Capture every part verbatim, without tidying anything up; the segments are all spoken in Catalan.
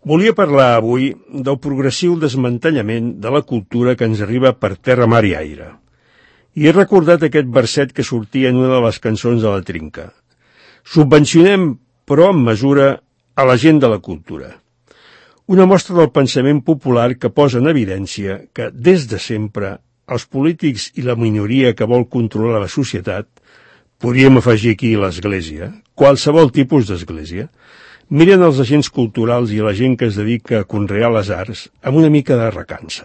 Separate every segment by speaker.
Speaker 1: Volia parlar avui del progressiu desmantellament de la cultura que ens arriba per terra, mar i aire. I he recordat aquest verset que sortia en una de les cançons de la Trinca. Subvencionem, però amb mesura, a la gent de la cultura. Una mostra del pensament popular que posa en evidència que, des de sempre, els polítics i la minoria que vol controlar la societat, podríem afegir aquí l'Església, qualsevol tipus d'Església, miren els agents culturals i la gent que es dedica a conrear les arts amb una mica de recança.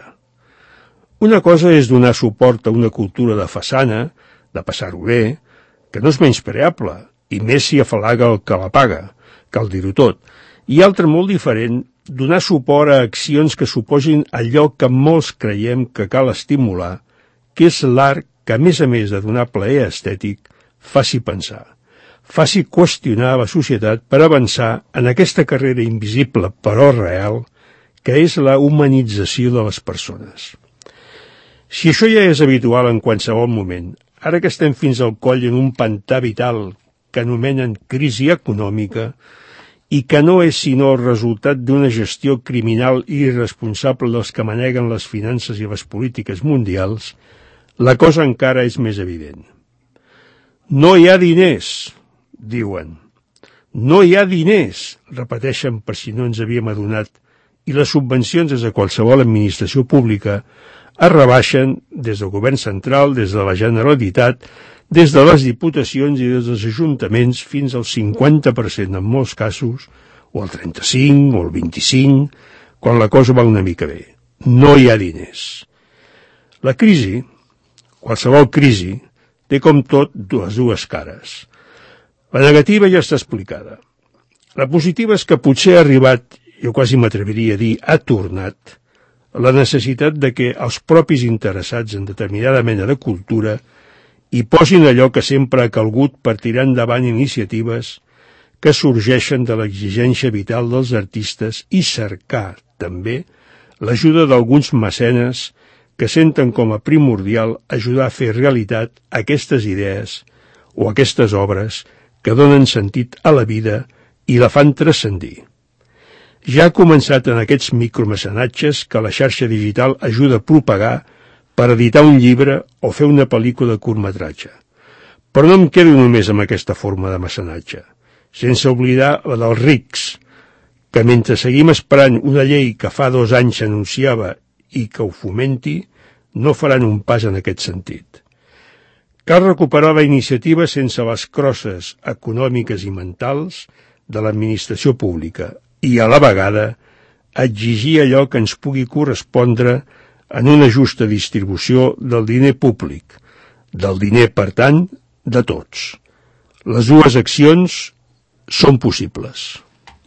Speaker 1: Una cosa és donar suport a una cultura de façana, de passar-ho bé, que no és menyspreable, i més si afalaga el que la paga, cal dir-ho tot, i altra molt diferent, donar suport a accions que suposin allò que molts creiem que cal estimular, que és l'art que, a més a més de donar plaer estètic, faci pensar, faci qüestionar la societat per avançar en aquesta carrera invisible però real, que és la humanització de les persones. Si això ja és habitual en qualsevol moment, ara que estem fins al coll en un pantà vital que anomenen crisi econòmica i que no és sinó el resultat d'una gestió criminal i irresponsable dels que maneguen les finances i les polítiques mundials, la cosa encara és més evident. No hi ha diners, diuen. No hi ha diners, repeteixen per si no ens havíem adonat, i les subvencions des de qualsevol administració pública es rebaixen des del govern central, des de la Generalitat, des de les diputacions i des dels ajuntaments fins al cinquanta per cent en molts casos, o al trenta-cinc o al vint-i-cinc, quan la cosa va una mica bé. No hi ha diners. La crisi, qualsevol crisi, té com tot les dues cares. La negativa ja està explicada. La positiva és que potser ha arribat, jo quasi m'atreviria a dir, ha tornat, la necessitat de que els propis interessats en determinada mena de cultura hi posin allò que sempre ha calgut per tirar endavant iniciatives que sorgeixen de l'exigència vital dels artistes i cercar, també, l'ajuda d'alguns mecenes que senten com a primordial ajudar a fer realitat aquestes idees o aquestes obres que donen sentit a la vida i la fan transcendir. Ja ha començat en aquests micromecenatges que la xarxa digital ajuda a propagar per editar un llibre o fer una pel·lícula de curtmetratge. Però no em quedo només amb aquesta forma de mecenatge, sense oblidar la dels rics, que mentre seguim esperant una llei que fa dos anys s'anunciava i que ho fomenti, no faran un pas en aquest sentit. Cal recuperar la iniciativa sense les crosses econòmiques i mentals de l'administració pública i, a la vegada, exigir allò que ens pugui correspondre en una justa distribució del diner públic, del diner, per tant, de tots. Les dues accions són possibles.